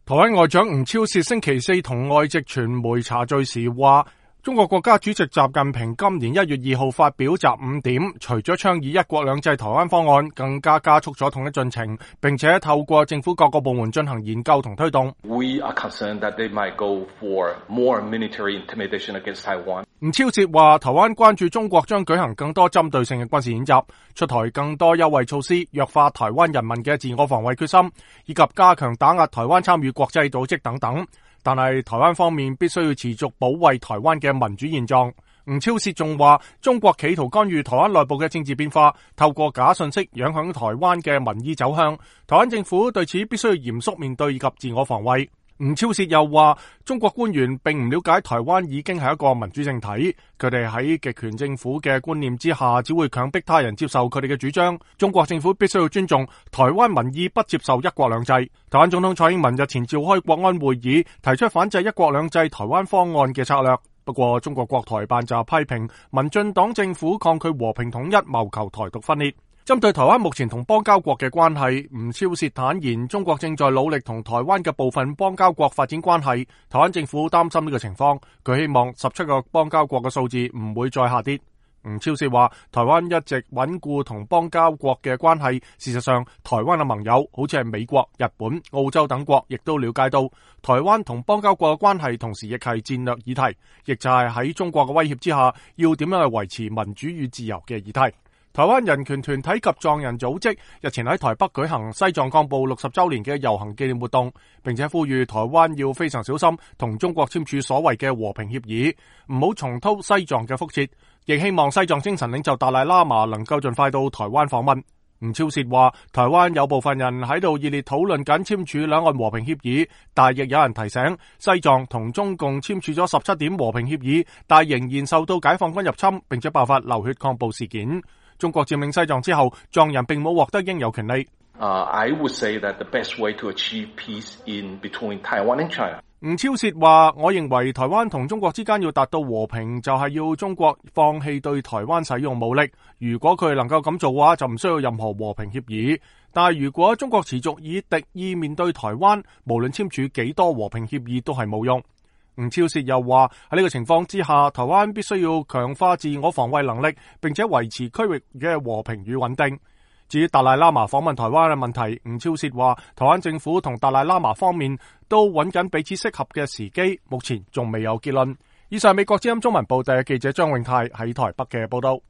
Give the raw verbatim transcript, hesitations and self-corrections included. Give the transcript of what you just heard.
台灣外長吳釗燮星期四同外籍傳媒茶敘時話，中國國家主席習近平今年一月二號發表習五點，除咗倡議一國兩制台灣方案，更加加速咗統一進程，並且透過政府各個部門進行研究同推動。We are concerned that they might go for more military intimidation against Taiwan. 吳釗燮話，台灣關注中國將舉行更多針對性嘅軍事演習，出台更多優惠措施，弱化台灣人民嘅自我防衛決心，以及加強打壓台灣參與國際組織等等。但係台灣方面必須要持續保衛台灣嘅民主現狀。吳釗燮仲話，中國企圖干預台灣內部嘅政治變化，透過假信息影響台灣嘅民意走向。台灣政府對此必須要嚴肅面對以及自我防衛。吳釗燮又話，中國官員並唔了解台灣已經係一個民主政體，佢哋喺極權政府嘅觀念之下，只會強迫他人接受佢哋嘅主張。中國政府必須要尊重台灣民意，不接受一國兩制。台灣總統蔡英文日前召開國安會議，提出反制一國兩制台灣方案嘅策略。不過中國國台辦就批評民進黨政府抗拒和平統一，謀求台獨分裂。針對台灣目前同邦交國嘅關係，吳釗燮坦言，中國正在努力同台灣嘅部分邦交國發展關係。台灣政府擔心呢個情況，佢希望十七個邦交國嘅數字唔會再下跌。吳釗燮話，台灣一直穩固同邦交國嘅關係，事實上，台灣嘅盟友好似係美國、日本、澳洲等國，亦都了解到台灣同邦交國嘅關係，同時亦係戰略議題，亦就係喺中國嘅威脅之下，要點樣去維持民主與自由嘅議題。台灣人權團體及藏人組織日前喺台北舉行西藏幹部六十周年嘅遊行紀念活動，並且呼籲台灣要非常小心同中國簽署所謂嘅和平協議，唔好重蹈西藏嘅覆轍，亦希望西藏精神領袖達賴喇嘛能夠盡快到台灣訪問。吳釗燮話，台灣有部分人喺度熱烈討論緊簽署兩岸和平協議，但亦有人提醒西藏同中共簽署咗十七點和平協議，但仍然受到解放軍入侵，並且爆發流血抗暴事件。中國佔領西藏之後，藏人並冇獲得應有權利。Uh, I would say that the best way to achieve peace in between Taiwan and China. 吳釗燮話，我認為台灣同中國之間要達到和平，就係要中國放棄對台灣使用武力。如果佢能夠咁做嘅話，就唔需要任何和平協議。但係如果中國持續以敵意面對台灣，無論簽署幾多和平協議都係冇用。吳釗燮又話，喺呢個情況之下，台灣必須要強化自我防衛能力，並且維持區域嘅和平與穩定。至於達賴喇嘛訪問台灣嘅問題，吳釗燮話，台灣政府同達賴喇嘛方面都揾緊彼此適合嘅時機，目前仲未有結論。以上美國之音中文報嘅記者張永泰喺台北嘅報道。